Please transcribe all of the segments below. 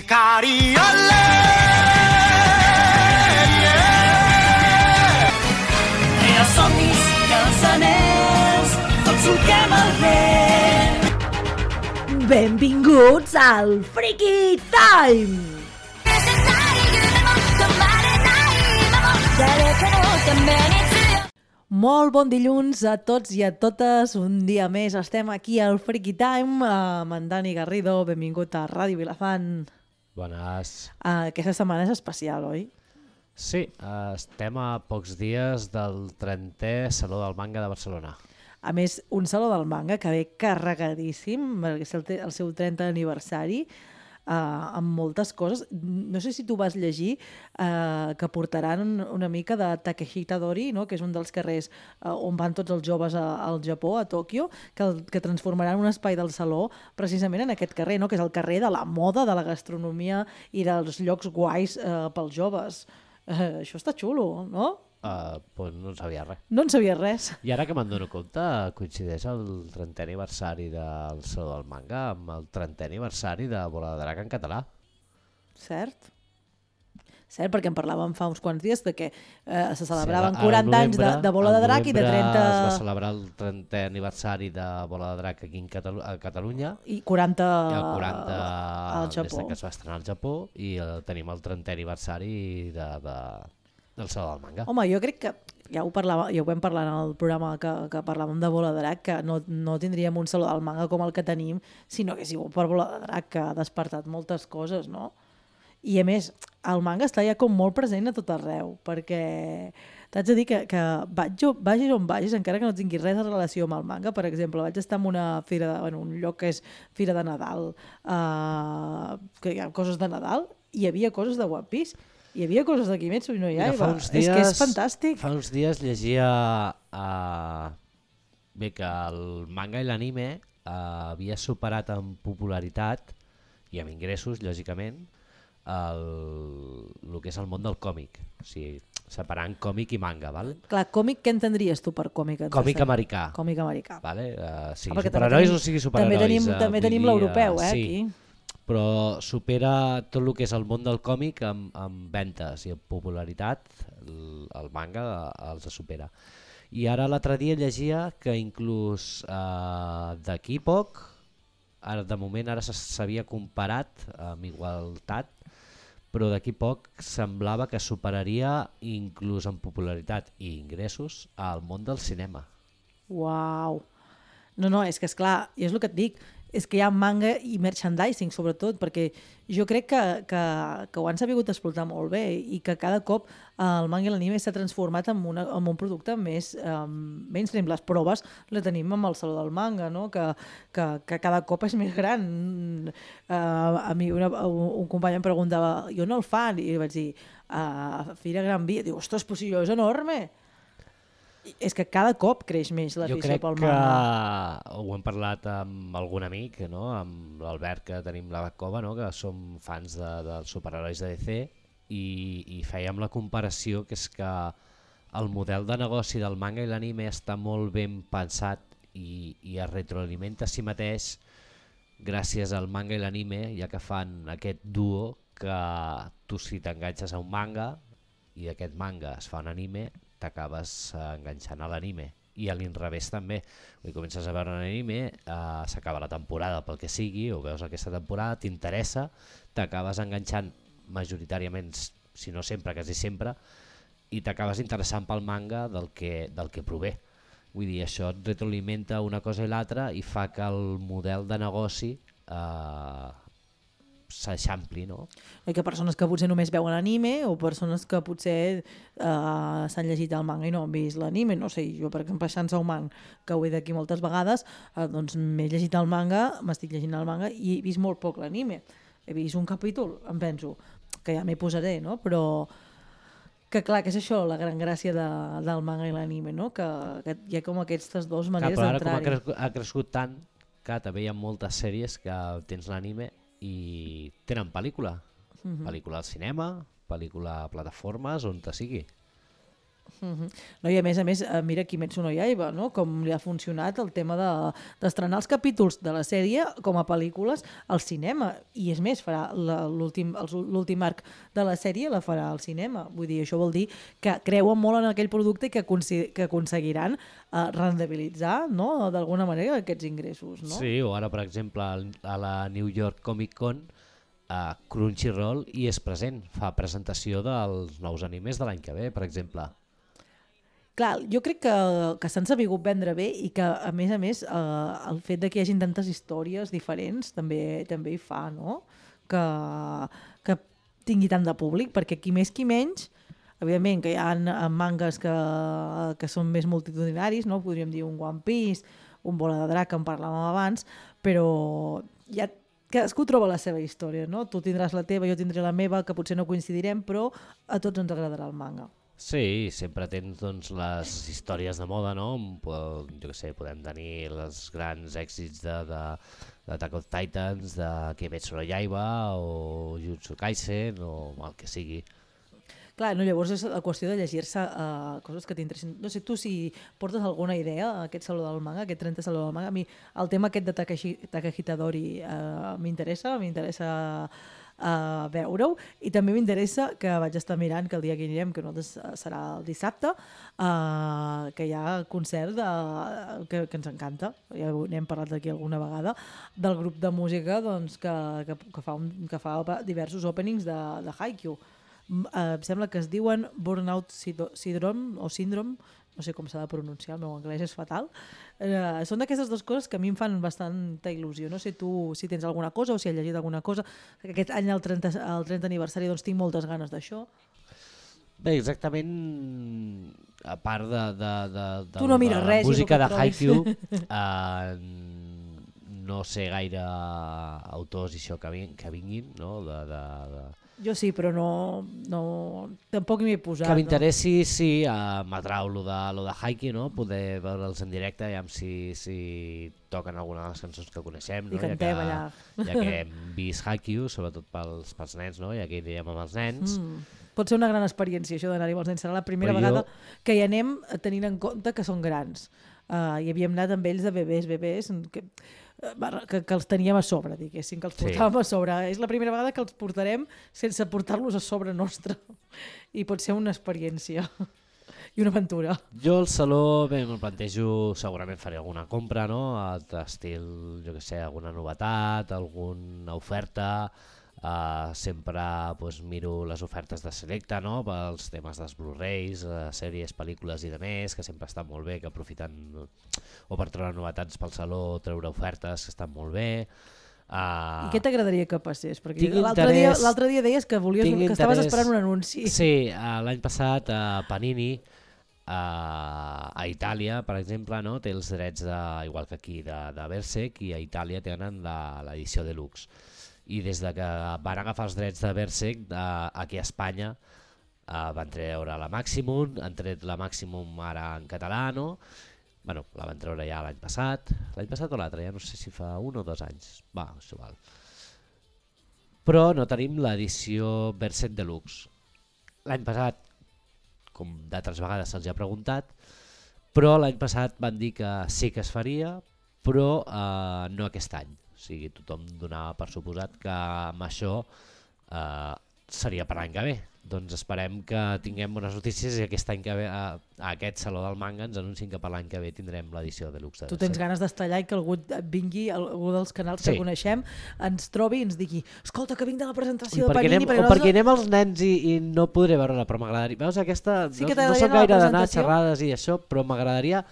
Cariole, els somnis i els anells, tots solquem el vent. Benvinguts al Freaky Time! Molt bon dilluns a tots i a totes. Un dia més estem aquí al Freaky Time amb en Dani Garrido. Benvingut a Ràdio Vilafant. Bones. Aquesta setmana és especial, oi? Sí, estem a pocs dies del 30è Saló del Manga de Barcelona. A més, un Saló del Manga que ve carregadíssim, perquè és el seu 30 aniversari, amb moltes coses. No sé si tu vas llegir que portaran una mica de Takehita Dori, no? Que és un dels carrers on van tots els joves al Japó, a Tòquio, que transformaran un espai del saló precisament en aquest carrer, no? Que és el carrer de la moda, de la gastronomia i dels llocs guais pels joves. Això està xulo, no? Pues no en sabia res. No en sabia res. I ara que me'n dono compte, coincideix el 30è aniversari del Saló del Manga amb el 30è aniversari de Bola de Drac en català. Cert? Cert, perquè en parlàvem fa uns quants dies de que se celebraven 40 anys de Bola de Drac i de 30... Es va celebrar el 30è aniversari de Bola de Drac aquí a Catalunya. I 40 I el 40 al Japó. des que es va estrenar al Japó i tenim el 30è aniversari del Saló del Manga. Home, jo crec que ja ho vam parlar en el programa que parlàvem de Bola de Drac, que no tindríem un Saló del Manga com el que tenim si no hagués sigut per Bola de Drac, que ha despertat moltes coses, no? I a més, el manga està ja com molt present a tot arreu, perquè t'haig de dir que vagis on vagis, encara que no tinguis res de relació amb el manga. Per exemple, vaig estar en una fira, en un lloc que és Fira de Nadal, que hi ha coses de Nadal, i hi havia coses de One Piece, hi havia coses de Kimetsu no Yaiba. És que és fantàstic. Fa uns dies llegia bé que el manga i l'anime havia superat en popularitat i amb ingressos, lògicament, el que és el món del còmic, o sigui, separant còmic i manga, val? Clar, còmic, què entendries tu per còmic? Còmic americà. Còmic americà. Vale? Sigui superherois o sigui superherois. També tenim l'europeu, sí, aquí. Però supera tot el que és el món del còmic amb ventes i en popularitat, el manga els supera. I ara l'altre dia llegia que inclús d'aquí poc, ara de moment s'havia comparat amb igualtat, però d'aquí poc semblava que superaria inclús en popularitat i ingressos al món del cinema. Uau! No, és que esclar, i és el que et dic, és que hi ha manga i merchandising sobretot, perquè jo crec que ho han sabut explotar molt bé i que cada cop el manga i l'anime s'ha transformat en un producte més mainstream. Les proves les tenim amb el Saló del Manga, no? que cada cop és més gran. A mi un company em preguntava, i on el fan? I vaig dir, a Fira Gran Via. Diu, ostres, però si jo és enorme! És que cada cop creix més l'afició pel manga. Jo crec que ho hem parlat amb algun amic, no? Amb l'Albert, que tenim la cova, no? Que som fans dels superherois de DC, i fèiem la comparació, que és que el model de negoci del manga i l'anime està molt ben pensat i es retroalimenta a si mateix gràcies al manga i l'anime, ja que fan aquest duo que tu, si t'enganxes a un manga i d'aquest manga es fa un anime, t'acabes enganxant a l'anime, i a l'inrevés també. Comences a veure un anime, s'acaba la temporada pel que sigui, o veus aquesta temporada, t'interessa, t'acabes enganxant majoritàriament, si no sempre, quasi sempre, i t'acabes interessant pel manga del que prové. Vull dir, això et retroalimenta una cosa i l'altra i fa que el model de negoci s'eixampli, no? I que persones que potser només veuen anime o persones que potser s'han llegit el manga i no han vist l'anime, no sé, jo per exemple Chainsaw Man, que ho he d'aquí moltes vegades, doncs m'he llegit el manga, m'estic llegint el manga i he vist molt poc l'anime. He vist un capítol, em penso, que ja m'hi posaré, no? Però que clar, que és això la gran gràcia del manga i l'anime, no? Que hi ha com aquestes dues maneres d'entrar-hi. Però ara com ha crescut tant, que també hi ha moltes sèries que tens l'anime i tenen pel·lícula. Pel·lícula al cinema, pel·lícula a plataformes, on te sigui. No, i a més, mira Kimetsu no Yaiba, no? Com li ha funcionat el tema d'estrenar els capítols de la sèrie com a pel·lícules al cinema. I és més, farà l'últim arc de la sèrie la farà al cinema. Vull dir, això vol dir que creuen molt en aquell producte i que aconseguiran rendibilitzar, no? D'alguna manera aquests ingressos. No? Sí, o ara, per exemple, a la New York Comic Con, Crunchyroll hi és present, fa presentació dels nous animes de l'any que ve, per exemple. Clar, jo crec que s'han sabut vendre bé i que, a més, el fet de que hi hagin tantes històries diferents també hi fa, no? Que tingui tant de públic, perquè qui més qui menys, evidentment que hi ha mangas que són més multitudinaris, no? Podríem dir un One Piece, un Bola de Drac, que en parlàvem abans, però ja cadascú troba la seva història, no? Tu tindràs la teva, jo tindré la meva, que potser no coincidirem, però a tots ens agradarà el manga. Sí, sempre tens doncs, les històries de moda, no? Jo què sé, podem tenir els grans èxits d'Attack of Titans, de Kimetsu no Yaiba o Jujutsu Kaisen o el que sigui. Clar, no, llavors és la qüestió de llegir-se coses que t'interessin. No sé, tu si portes alguna idea a aquest Saló del Manga, aquest 30 Saló del Manga, a mi el tema aquest de Takahita Dori m'interessa veure-ho, i també m'interessa, que vaig estar mirant que el dia que anirem, que nosaltres serà el dissabte, que hi ha concert que ens encanta, ja n'hem parlat aquí alguna vegada, del grup de música doncs, que fa diversos openings de Haikyuu. Em sembla que es diuen Burnout Syndrome o Syndrome, no sé com s'ha de pronunciar, el meu anglès és fatal. Són d'aquestes dues coses que a mi em fan bastanta il·lusió. No sé tu si tens alguna cosa o si has llegit alguna cosa. Aquest any, el 30 aniversari, doncs tinc moltes ganes d'això. Bé, exactament, a part de tu no mires res, la música de Haikyuu, no sé gaire autors i això que vinguin, no? Jo sí, però tampoc m'hi he posat. Que m'interessi, sí, m'atrau lo de Haikyuu, no? Poder veure'ls en directe, ja si toquen alguna de les cançons que coneixem, no? I cantem allà. Ja que hem vist Haikyuu, sobretot pels nens, no? Ja que anirem amb els nens. Pot ser una gran experiència això d'anar-hi amb els nens. Serà la primera vegada que hi anem tenint en compte que són grans. I havíem anat amb ells de bebès, que els teníem a sobre, diguéssim, que els portàvem a sobre. És la primera vegada que els portarem sense portar-los a sobre nostre. I pot ser una experiència i una aventura. Jo al saló me'l plantejo, segurament faré alguna compra, no? D'estil, jo què sé, alguna novetat, alguna oferta. Sempre miro les ofertes de Selecta, no? Pels temes dels Blu-rays, sèries, pel·lícules i demés, que sempre estan molt bé, que aprofiten o per treure novetats pel saló, treure ofertes que estan molt bé. I què t'agradaria que passés? Perquè l'altre dia deies que estaves esperant un anunci. Sí, l'any passat Panini a Itàlia, per exemple, no? Té els drets, igual que aquí, de Berserk, i a Itàlia tenen l'edició deluxe. I des de que van agafar els drets de Berserk, aquí a Espanya van treure la Maximum, han tret la Maximum ara en català, no? Bueno, la van treure ja l'any passat o l'altre, ja no sé si fa 1 o 2 anys, va, és igual. Però no tenim l'edició Berserk Deluxe. L'any passat, com d'altres vegades se'ls ha preguntat, però l'any passat van dir que sí que es faria, però no aquest any. O sigui, tothom donava per suposat que amb això seria per l'any que ve. Doncs esperem que tinguem bones notícies i aquest any que ve, a aquest Saló del Manga, ens anuncien que per l'any que ve tindrem l'edició deluxe. Tu tens ganes d'estar allà i que algú vingui, algú dels canals que coneixem, ens trobi i ens digui escolta, que vinc de la presentació de Panini. Perquè anem els nens i no podré veure-la, però m'agradaria. Veus, aquesta no soc gaire d'anar a xerrades i això, però m'agradaria,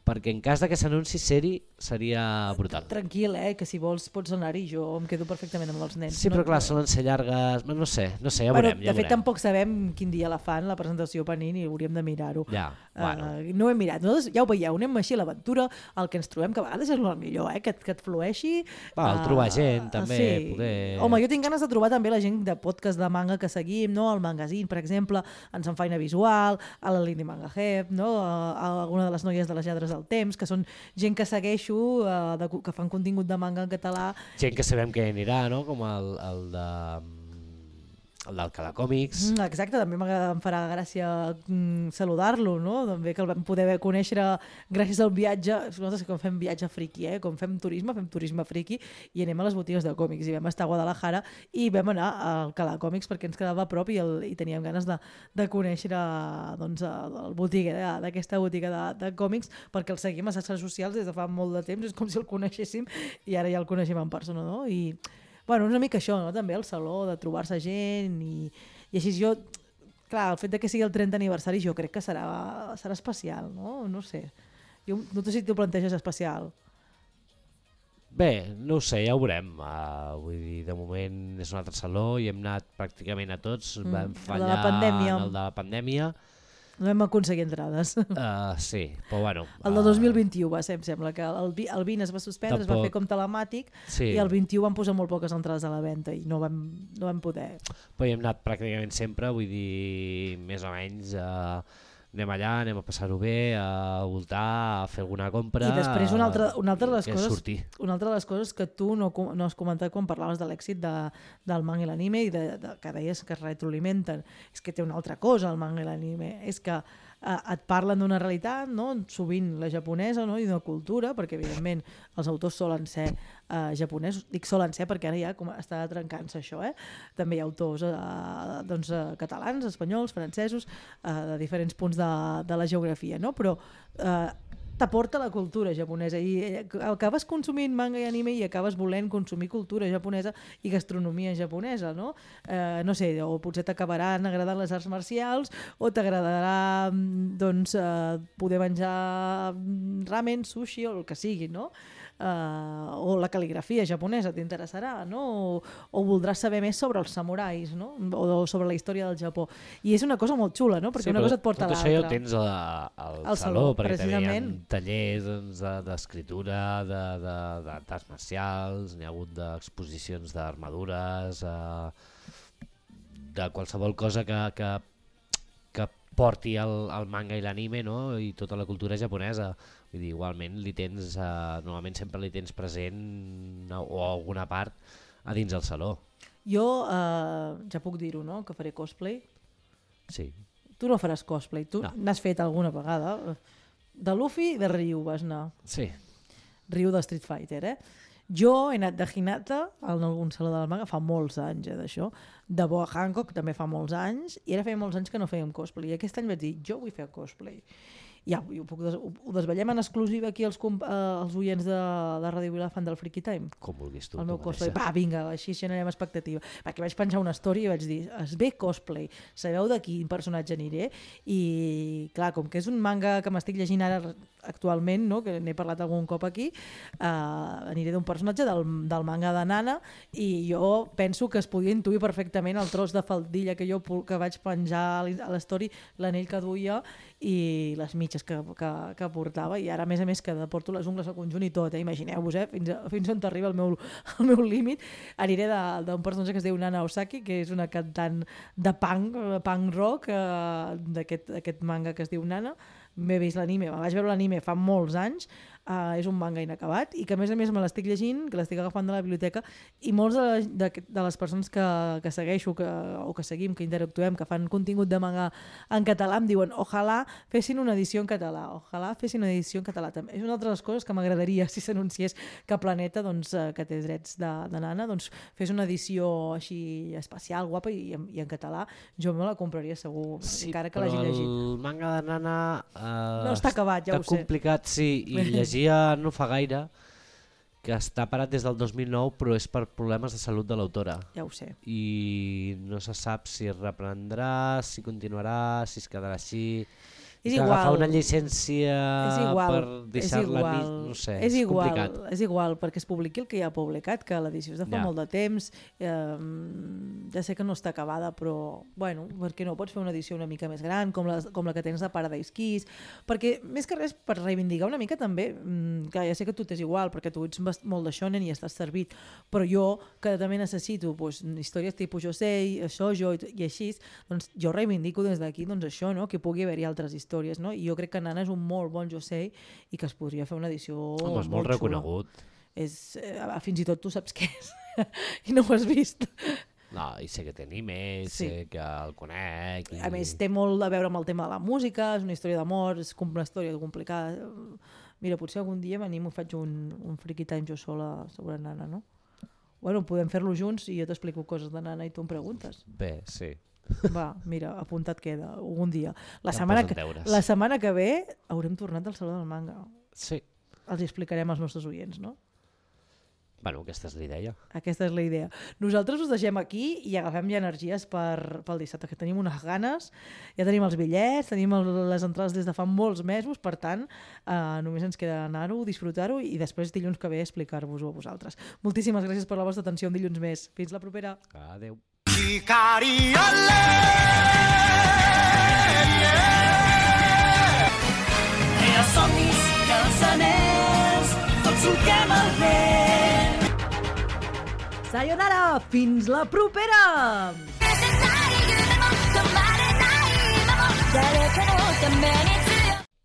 perquè en cas de que s'anunci seri seria brutal. Tranquil, que si vols pots anar-hi, jo em quedo perfectament amb els nens. Sí, però clar, solen ser llargues, no sé, ja veurem. De fet, tampoc sabem quin dia la fan, la presentació Panini, hauríem de mirar-ho. No ho hem mirat, nosaltres ja ho veieu, anem així a l'aventura, el que ens trobem, que a vegades és el millor, que et flueixi. El trobar gent, també. Home, jo tinc ganes de trobar també la gent de podcast de manga que seguim, el Magazine, per exemple, en Feina Visual, a la Lindy Manga Hep, alguna de les noies de les lladres del temps, que són gent que segueixo, que fan contingut de manga en català. Gent que sabem que anirà, no? Com el el d'Alcalá Còmics. Exacte, també em farà gràcia saludar-lo, no? També que el vam poder conèixer gràcies al viatge. Nosaltres que fem viatge friki, com fem turisme friki i anem a les botigues de còmics i vam estar a Guadalajara i vam anar a Alcalá Còmics perquè ens quedava a prop i teníem ganes de conèixer doncs, el botiguer d'aquesta botiga de còmics perquè el seguim a les xarxes socials des de fa molt de temps, és com si el coneixéssim i ara ja el coneixem en persona, no? I bueno, una mica això, no? També el saló, de trobar-se gent i així jo... Clar, el fet de que sigui el 30 aniversari jo crec que serà especial, no? No sé. Jo no sé si t'ho planteges especial. Bé, no ho sé, ja ho veurem. Vull dir, de moment és un altre saló i hem anat pràcticament a tots. Vam fallar en el de la pandèmia. No vam aconseguir entrades. Sí, però bueno... El del 2021 va ser, em sembla, que el 20 es va suspendre, es va fer com telemàtic i el 21 van posar molt poques entrades a la venda i no vam poder... Però hi hem anat pràcticament sempre, vull dir, més o menys... anem allà, anem a passar-ho bé, a voltar, a fer alguna compra... I després una altra de les coses que tu no has comentat quan parlaves de l'èxit del manga i l'anime i que deies que es retroalimenten. És que té una altra cosa el manga i l'anime, és que et parlen d'una realitat, no? Sovint la japonesa, no? I d'una cultura, perquè evidentment els autors solen ser japonesos, dic solen ser perquè ara ja està trencant-se això, també hi ha autors catalans, espanyols, francesos, de diferents punts de la geografia, no? Però t'aporta la cultura japonesa i acabes consumint manga i anime i acabes volent consumir cultura japonesa i gastronomia japonesa, no? No sé, o potser t'acabaran agradant les arts marcials o t'agradarà doncs, poder menjar ramen, sushi o el que sigui, no? O la cal·ligrafia japonesa t'interessarà, no? O voldràs saber més sobre els samurais, no? O sobre la història del Japó. I és una cosa molt xula, no? Perquè una cosa et porta a l'altra. Tot això ja ho tens al saló, perquè també hi ha tallers d'escriptura, d'arts marcials, n'hi ha hagut d'exposicions d'armadures, de qualsevol cosa que porti el manga i l'anime, no? I tota la cultura japonesa. Vull dir, igualment normalment sempre li tens present o alguna part a dins el saló. Jo ja puc dir-ho, no? Que faré cosplay. Sí. Tu no faràs cosplay, tu n'has fet alguna vegada. De Luffy i de Ryu vas anar. Sí. Ryu de Street Fighter, Jo he anat de Hinata en algun saló del manga fa molts anys, d'això. De Boa Hancock també fa molts anys i ara feia molts anys que no fèiem cosplay. I aquest any vaig dir, jo vull fer cosplay. Ja, ho desvetllem en exclusiva aquí els oients de Ràdio Vilafant del Freaky Time. Com vulguis tu. El meu cosplay. Va, vinga, així generem expectativa. Perquè vaig penjar una story i vaig dir, es ve cosplay, sabeu de quin personatge aniré? I clar, com que és un manga que m'estic llegint ara actualment, no? Que n'he parlat algun cop aquí, aniré d'un personatge del manga de Nana i jo penso que es podia intuir perfectament el tros de faldilla que vaig penjar a l'story, l'anell que duia i les mitges que portava, i ara a més que porto les ungles al conjunt i tot, imagineu-vos, fins on t'arriba el meu límit. Aniré d'un personatge que es diu Nana Osaki, que és una cantant de punk rock d'aquest manga que es diu Nana. M'he vist l'anime, vaig veure l'anime fa molts anys, és un manga inacabat i que a més me l'estic llegint, que l'estic agafant de la biblioteca, i molts de les persones que segueixo o que seguim, que interactuem, que fan contingut de manga en català, em diuen ojalà fessin una edició en català, També. És una altra de les coses que m'agradaria si s'anunciés que Planeta, doncs, que té drets de Nana, doncs, fes una edició així especial, guapa i en català. Jo me la compraria segur, encara que l'hagi llegit. Sí, però el manga de Nana no està acabat, ja ho sé. Està complicat, sí, i llegia no fa gaire, que està parat des del 2009, però és per problemes de salut de l'autora. Ja ho sé. I no se sap si es reprendrà, si continuarà, si es quedarà així. És igual. Agafar una llicència per deixar-la, no sé, és complicat. És igual, perquè es publiqui el que ja ha publicat, que l'edició és de fa molt de temps, ja sé que no està acabada, però, bueno, perquè no pots fer una edició una mica més gran, com la que tens de Paradise Kiss, perquè, més que res, per reivindicar una mica també, que ja sé que tu t'és igual, perquè tu ets molt de shonen i estàs servit, però jo, que també necessito històries tipus Josei, shoujo i així, doncs jo reivindico des d'aquí això, que pugui haver-hi altres històries. No? I jo crec que Nana és un molt bon Josei i que es podria fer una edició és molt reconegut. Fins i tot tu saps què és i no ho has vist. No, i sé que té animes, sé que el conec... A més, té molt a veure amb el tema de la música, és una història d'amor, és una història complicada. Mira, potser algun dia m'animo i faig un Freaky Time jo sola sobre Nana, no? Bueno, podem fer-lo junts i jo t'explico coses de Nana i tu em preguntes. Bé, sí. Va, mira, apuntat queda, algun dia. La Ja setmana que ve haurem tornat al Saló del Manga. Sí. Els explicarem als nostres oients, no? Bueno, aquesta és la idea. Aquesta és la idea. Nosaltres us deixem aquí i agafem ja energies pel dissabte, que tenim unes ganes, ja tenim els bitllets, tenim les entrades des de fa molts mesos, per tant, només ens queda anar-ho, disfrutar-ho i després dilluns que ve explicar-vos-ho a vosaltres. Moltíssimes gràcies per la vostra atenció un dilluns més. Fins la propera. Adéu. Els somnis i els anells, tots solquem el vent. Sayonara! Fins la propera! 誰かのために